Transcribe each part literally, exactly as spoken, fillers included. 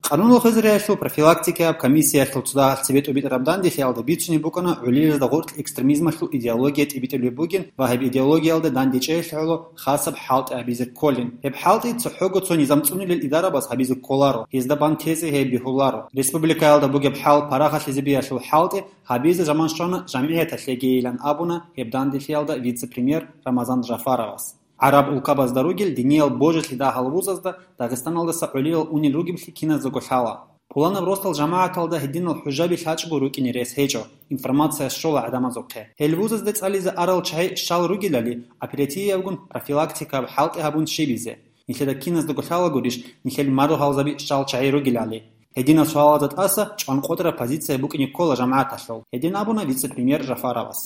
Къануналъул хвезариялъул профилактикаяб комиссиялъул цо дагьалъ цебетӀубитӀараб данделъиялда бицунеб букӀана гӀолилазда гъоркь экстремизмалъул идеология тӀибитӀулеб бугин ва гьеб идеологиялда дандечӀеялъе гӀоло хасаб хӀалтӀи гьабизе кколин. Гьеб хӀалтӀи цохӀого цо низам цӀунилел идарабаз гьабизе кколаро, гьезда бан тезе гьеб бегьуларо. Республикаялда бугеб хӀал парагъалъизе биялъул хӀалтӀи гьабизе заман щвана жамгӀияталъегийилан абуна гьеб данделъиялда вице-премьер Рамазан Жафаровас. ГӀараб улкабазда ругел диниял божилъи дагьал вузазда Дагъистаналдаса гӀолилал унел ругеблъи киназдаго лъала. Пуланаб росдал жамагӀаталда гьединал хӀужаби лъачӀого рукӀине рес гьечӀо, информация щола гӀадамазухъе. Гьел вузазде цӀализе арал чагӀи щал ругелали, оперативиябгун профилактикаб хӀалтӀи гьабун щибизе. Нилъеда киназдаго лъала гурищ, нилъел мару гьалзаби щал чагӀи ругелали? Гьединал суалазда тӀаса чӀванкъотӀараб позиция букӀине ккола жамагӀаталъул, гьедин абуна вице-премьер Жафаровас.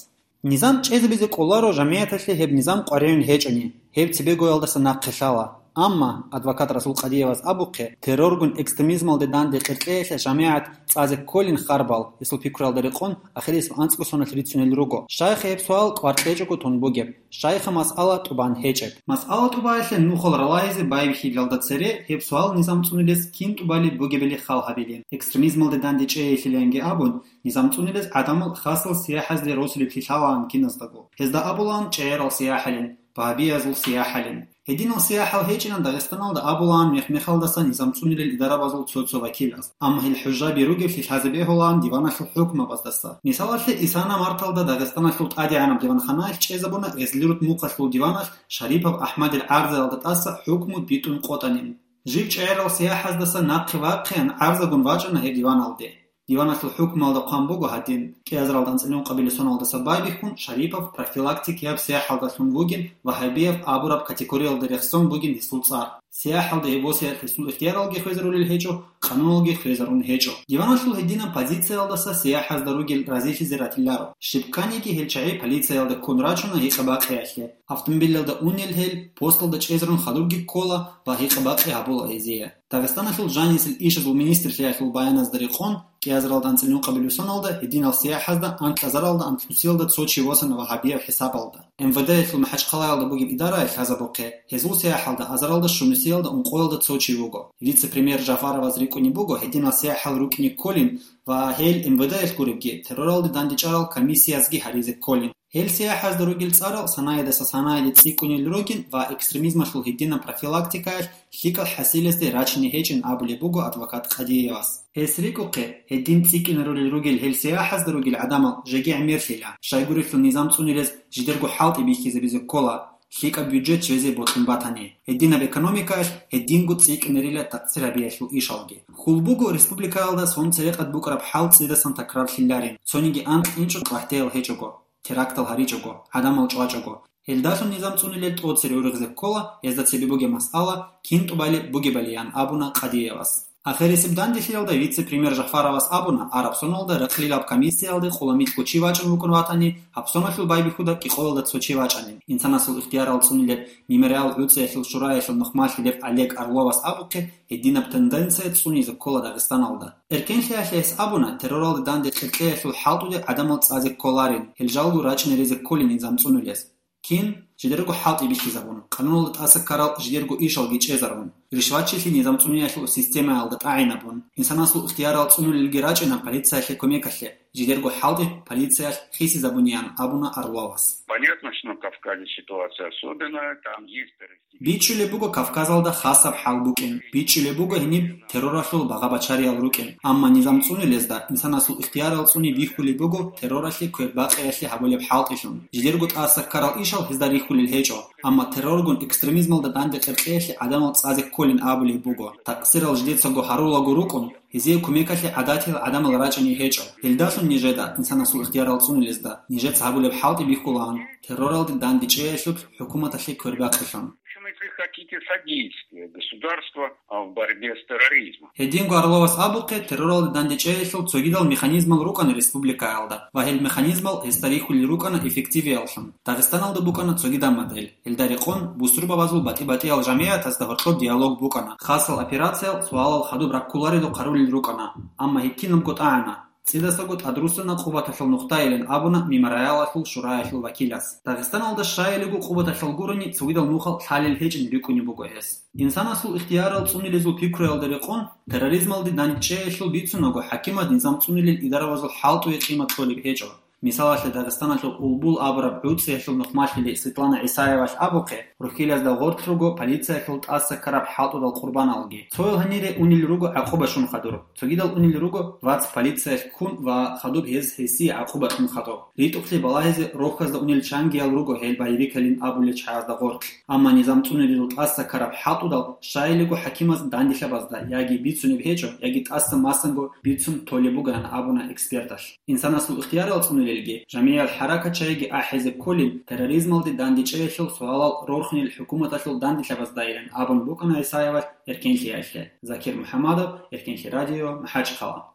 Низам чӀезабизе кӀоларо жамигӀаталъе гьеб низам къваригӀун гьечӀони, гьеб цебегоялдаса нахъе лъала. Амма, адвокат Расул Къадиевас абухъе, терроргун экстремизмалде данде къеркьеялъе жамигӀат цӀазе кколин харбал, гьесул пикруялда рекъон, ахирисеб анцӀго соналъ рицунел руго. Щайха гьеб суал кӀвар кьечӀого тун бугеб? Щайха масъала тӀубан гьечӀеб? Масъала тӀубаялъе нухал ралагьизе байбихьилалда цере гьеб суал низам цӀунилес кин тӀубалеб бугебали хал гьабилин. Экстремизмалде данде чӀейилъиланги абун, низам цӀунилес гӀадамал хасал сияхӀазде росулеблъи лъалаан киназдаго. Гьезда абулаан чӀегӀерал сияхӀалин, багьабиязул сияхӀалин. Гьединал сияхӀал гьечӀилан Дагъистаналда абулаан мех-мехалдаса низам цӀунилел идарабазул цо-цо вакилаз. Амма гьел хӀужаби ругеблъи лъазе бегьулаан диваналъул хӀукмабаздаса. Мисалалъе, исана марталда Дагъистаналъул тӀадегӀанаб диванханаялъ чӀезабуна Гъезлирут мухъалъул диваналъ Шарипов АхӀмадил гӀарзаялда тӀаса хӀукму битӀун къотӀанин. Жив чӀегӀерал сияхӀаздаса нахъе вахъеян гӀарзагун вачӀана гьеб диваналде. Диваналъул хӀукмуялда хъван буго гьадин, кӀиазаралда анцӀила ункъабилеб соналдаса байбихьун Шарипов профилактикияб сияхӀалдалъун вугин ва гьабияб абураб категориялда рехсон бугин гьесул цӀар. СияхӀалда гьеб босиялъ гьесул ихтияралги хвезарулел гьечӀо, къануналги хвезарун гьечӀо. Диваналъул гьединаб позициялдаса сияхӀазда ругел разилъизе ратиларо. Щибканиги гьел чагӀи полициялда ккун рачуна гьикъа-бакъиялъе. Автомобилалда унел гьел, посталда чӀезарун хадубги ккола ва гьикъа-бакъи гьабула гьезие. Дагъистаналъул жанисел ишазул министрлъиялъул баяназда рекъон, кӀиазаралда анцӀила ункъабилеб соналда гьединал сияхӀазда анкьазаралда анлънусиялда цо чи восана ва гьабияб хӀисабалда. МВД-ялъул МахӀачхъалаялда бугеб идараялъ лъазабухъе, гьезул сияхӀалда азаралда щунусиялда ункъоялда цо чи вуго. Вице-премьер Жафароваз рикӀкӀунеб буго гьединал сияхӀал рукӀине кколин ва гьел МВД-ялъ гуребги, терроралде дандечӀарал комиссиязги гьаризе кколин. Гьел сияхӀазда ругел цӀарал санаядаса санаялде цӀикӀкӀунел ругин ва экстремизмалъул гьединаб профилактикаялъ лъикӀал хӀасилезде рачине гьечӀин абулеб буго адвокат Къадиевас. Гьес рикӀухъе, гьедин цӀикӀкӀинарулел ругел гьел сияхӀазда ругел гӀадамал жеги гӀемерлъила, щайгурелъул низам цӀунилез жидерго хӀалтӀи бихьизабизе ккола, лъикӀаб бюджет жезе бокьун батани, гьединаб экономикаялъ гьединго цӀикӀкӀинарила такъсир гьабиялъул ишалги. Хьул буго республикаялда сон церекъад букӀараб хӀал цӀидасан такрарлъиларин, цониги анкь инчӀо къватӀиял гьечӀого, терактал гьаричӀого, гӀадамал чӀвачӀого. Гьелдалъун низам цӀунилел тӀоцере ургъизе ккола, гьезда цебе бугеб масъала кин тӀубалеб бугебали, ян абуна Къадиевас. Ахирисеб данделъиялда вице-премьер Жафаровас абуна, араб соналда рахълилаб комиссиялде къуламикьго чи вачӀун вукӀун ватани, гьаб соналъул байбихьуда кӀикъоялда цо чи вачӀанин. Инсанасул ихтиярал цӀунилеб мемориал гӀуцӀиялъул шураялъул нухмалъи лев Олег Орловас абухъе, гьединаб тенденция цӀунизе ккола Дагъистаналда. Эркенлъиялъе гьес абуна, терроралда данде къеркьеялъул хӀалтӀуде гӀадамал цӀазе кколарин, гьел жалго рачӀине резе кколин низам цӀунилез. Кин, жидерго хӀалтӀи бихьизабун, къануналда тӀаса ккарал жидерго ишалги чӀезарун, ришватчилъи низам цӀуниялъул системаялда тӀагӀинабун, инсанасул ихтиярал цӀунулелги рачӀина полициялъе кумекалъе, жидерго хӀалтӀи полициялъ хисизабуниян абуна Орловас. Понятно, что на Кавказе ситуация особенная, там есть террористические БичӀчӀулеб буго Кавказалда хасаб хӀал букӀин. БичӀчӀулеб буго гьениб терроралъул багъа-бачариял рукӀин. Амма низам цӀунилезда, инсанасул ихтиярал цӀуни бихьулеб буго терроралъе квербакъиялъе гьабулеб хӀалтӀилъун. Жидерго тӀаса ккарал ишал гьезда рихьулел гьечӀо. Амма терроргун экстремизмалда данде къеркьеялъе гӀадамал цӀазе кколин абулеб буго. Такъсирал жидецаго гьарулаго рукӀун, гьезие кумекалъе гӀадатиял гӀадамал рачӀине гьечӀо. Гьелдалъун нижеда, инсанасул ихтиярал цӀунилезда, нижеца гьабулеб хӀалтӀи бихьулаан, терроралде дандечӀеялъул хӀукуматалъе квербакъилъун. В общем, если хотите, содействие государства, а, в борьбе с терроризмом. Гьединго Орловас абухъе, терроралде дандечӀеялъул цогидал механизмал рукӀана республикаялда ва гьел механизмал гьесда рихьулел рукӀана эффективияллъун. Дагъистаналда букӀана цогидаб модель. Гьелда рекъон бусурбабазул батӀи-батӀиял жамигӀатазда гьоркьоб диалог букӀана. Хасал операциял суалал хадуб раккуларедухъ гьарулел рукӀана, амма гьеб кинабго тӀагӀана. ЦӀидасаго тӀадруссана къубаталъул нухдаилан абуна Мемориалалъул шураялъул вакилас. Дагъистаналда щайилего къубаталъул гурони цогидал нухал лъалел гьечӀин рикӀкӀунеб буго гьес. Инсанасул ихтиярал цӀунилезул пикруялда рекъон, терроризмалде дандчӀеялъул бицунаго хӀакимаз низам цӀунилел идаравазул хӀалтӀуе къимат кьолеб гьечӀо. Мисалалъе, Дагъистаналъул Улбул абураб гӀуцӀиялъул нухмалъили Светлана ГӀисаевалъ абухъе, рухьилазда гъорлъ руго полициялъул тӀаса ккараб хӀалтӀудал къурбаналги. Цоял гьанире унел руго гӀакъуба щун хадур. Цогидал унел руго вац полициялъ ккун ва хадуб гьез гьесие гӀакъуба кьун хадуб. РитӀухълъи балагьизе рохьазда унел чангиял руго гьел боевикалин абулел чагӀазда гъорлъ. Амма низам цӀунилел тӀаса ккараб хӀалтӀудал щайилего хӀакимаз данделъабазда яги бицунеб гьечӀо, яги тӀаса масанго бицун толеб бугилан абуна эксперталъ. Инсанасул ихтиярал цӀунилелги, жамигӀал хӀаракат чагӀиги ахӀизе кколин, терроризмалде дандчӀеялъул суалал рорхунел хӀукуматалъул данделъабаздайилан абун букӀана ГӀисаевалъ Эркенлъиялъе. Закир МухӀаммадов, Эркенлъи радио, МахӀачхъала.